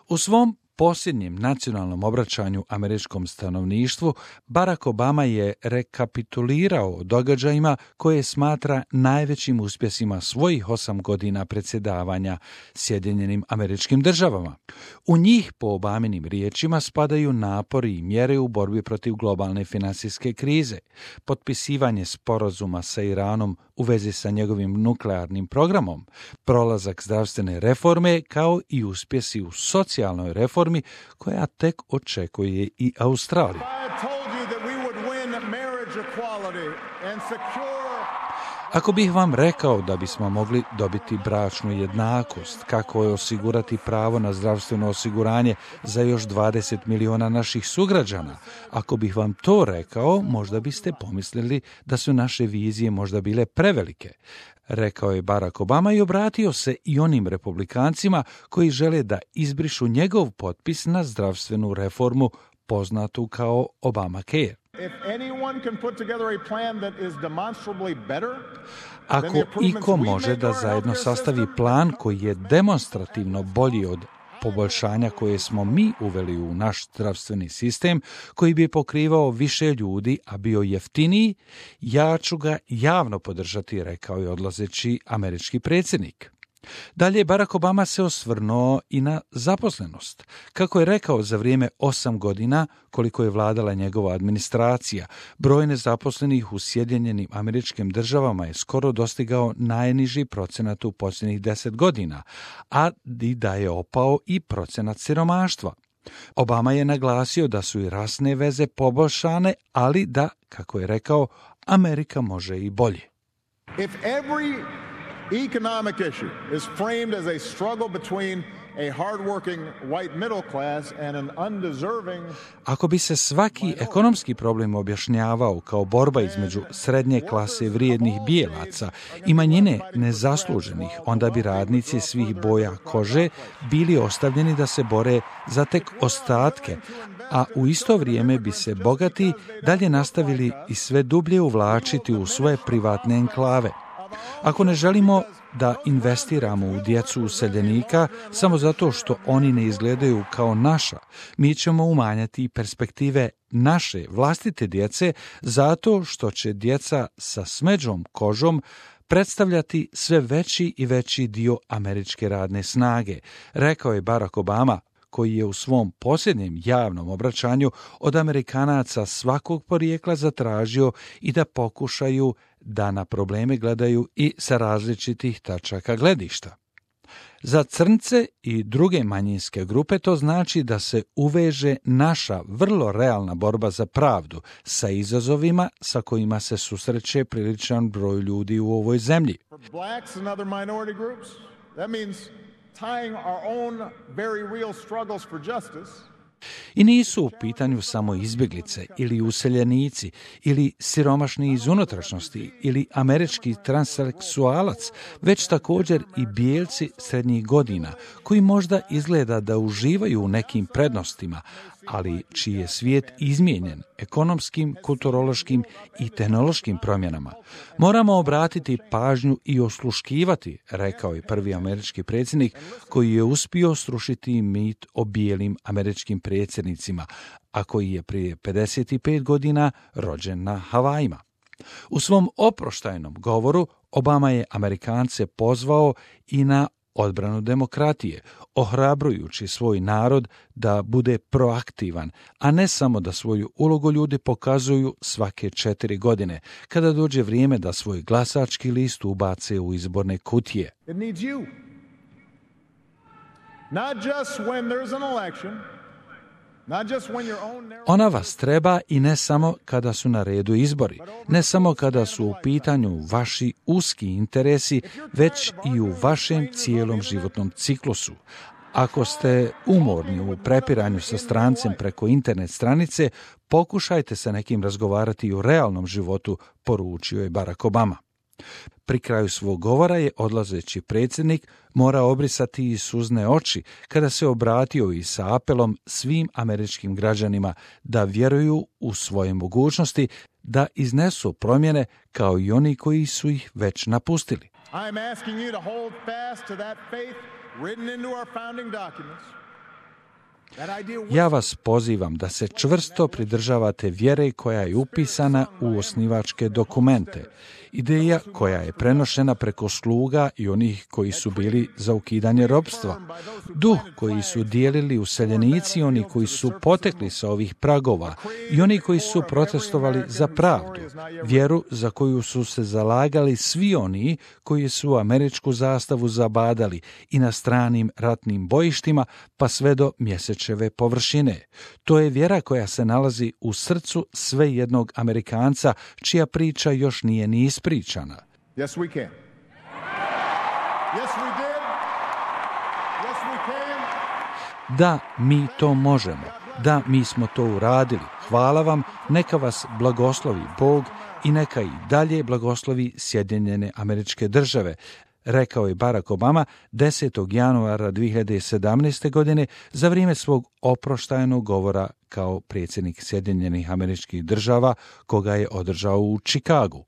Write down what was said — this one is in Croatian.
U svom posljednjem nacionalnom obraćanju američkom stanovništvu, Barack Obama je rekapitulirao o događajima koje smatra najvećim uspjesima svojih 8 godina predsjedavanja Sjedinjenim Američkim Državama. U njih, po Obaminim riječima, spadaju napori i mjere u borbi protiv globalne financijske krize, potpisivanje sporazuma sa Iranom u vezi sa njegovim nuklearnim programom, prolazak zdravstvene reforme kao i uspjesi u socijalnoj reformi koja tek očekuje i Australiju. Ako bih vam rekao da bismo mogli dobiti bračnu jednakost, kako je osigurati pravo na zdravstveno osiguranje za još 20 miliona naših sugrađana, ako bih vam to rekao, možda biste pomislili da su naše vizije možda bile prevelike. Rekao je Barack Obama i obratio se i onim republikancima koji žele da izbrišu njegov potpis na zdravstvenu reformu poznatu kao Obamacare. Ako iko može da zajedno sastavi plan koji je demonstrativno bolji od poboljšanja koje smo mi uveli u naš zdravstveni sistem, koji bi pokrivao više ljudi, a bio jeftiniji, ja ću ga javno podržati, rekao je odlazeći američki predsjednik. Dalje, Barack Obama se osvrnuo i na zaposlenost. Kako je rekao, za vrijeme 8 godina, koliko je vladala njegova administracija, broj nezaposlenih u Sjedinjenim Američkim Državama je skoro dostigao najniži procenat u posljednjih 10 godina, a i da je opao i procenat siromaštva. Obama je naglasio da su i rasne veze poboljšane, ali da, kako je rekao, Amerika može i bolje. Economic issue is framed as a struggle between a hardworking white middle class and an undeserving. Ako bi se svaki ekonomski problem objašnjavao kao borba između srednje klase vrijednih bijelaca i manjine nezasluženih, onda bi radnici svih boja kože bili ostavljeni da se bore za tek ostatke, a u isto vrijeme bi se bogati dalje nastavili i sve dublje uvlačiti u svoje privatne enklave. Ako ne želimo da investiramo u djecu useljenika samo zato što oni ne izgledaju kao naša, mi ćemo umanjati perspektive naše vlastite djece zato što će djeca sa smeđom kožom predstavljati sve veći i veći dio američke radne snage, rekao je Barack Obama, koji je u svom posljednjem javnom obraćanju od Amerikanaca svakog porijekla zatražio i da pokušaju da na probleme gledaju i sa različitih tačaka gledišta. Za crnce i druge manjinske grupe to znači da se uveže naša vrlo realna borba za pravdu sa izazovima sa kojima se susreće priličan broj ljudi u ovoj zemlji. Tying our own very real struggles for justice. I nisu u pitanju samo izbjeglice ili useljenici ili siromašni iz unutrašnjosti ili američki transseksualac, već također i bijelci srednjih godina koji možda izgleda da uživaju u nekim prednostima, ali čiji je svijet izmijenjen ekonomskim, kulturološkim i tehnološkim promjenama. Moramo obratiti pažnju i osluškivati, rekao je prvi američki predsjednik koji je uspio srušiti mit o bijelim američkim predsjednicima, a koji je prije 55 godina rođen na Havajima. U svom oproštajnom govoru Obama je Amerikance pozvao i na odbranu demokratije, ohrabrujući svoj narod da bude proaktivan, a ne samo da svoju ulogu ljudi pokazuju svake 4 godine, kada dođe vrijeme da svoj glasački list ubace u izborne kutije. It needs you. Not just when there's an election. Ona vas treba i ne samo kada su na redu izbori, ne samo kada su u pitanju vaši uski interesi, već i u vašem cijelom životnom ciklusu. Ako ste umorni u prepiranju sa strancem preko internet stranice, pokušajte sa nekim razgovarati u realnom životu, poručio je Barack Obama. Pri kraju svog govora je odlazeći predsjednik morao obrisati i suzne oči kada se obratio i sa apelom svim američkim građanima da vjeruju u svoje mogućnosti da iznesu promjene kao i oni koji su ih već napustili. I am asking you to hold fast to that faith written into our founding documents Ja vas pozivam da se čvrsto pridržavate vjere koja je upisana u osnivačke dokumente. Ideja koja je prenošena preko sluga i onih koji su bili za ukidanje ropstva. Duh koji su dijelili useljenici, oni koji su potekli sa ovih pragova i oni koji su protestovali za pravdu. Vjeru za koju su se zalagali svi oni koji su američku zastavu zabadali i na stranim ratnim bojištima pa sve do Mjesečeve površine. To je vjera koja se nalazi u srcu sve jednog Amerikanca čija priča još nije ni ispričana. Yes, we can. Yes, we did. Yes, we can. Da, mi to možemo. Da, mi smo to uradili. Hvala vam, neka vas blagoslovi Bog i neka i dalje blagoslovi Sjedinjene Američke Države, rekao je Barack Obama 10. januara 2017. godine za vrijeme svog oproštajnog govora kao predsjednik Sjedinjenih Američkih Država koga je održao u Čikagu.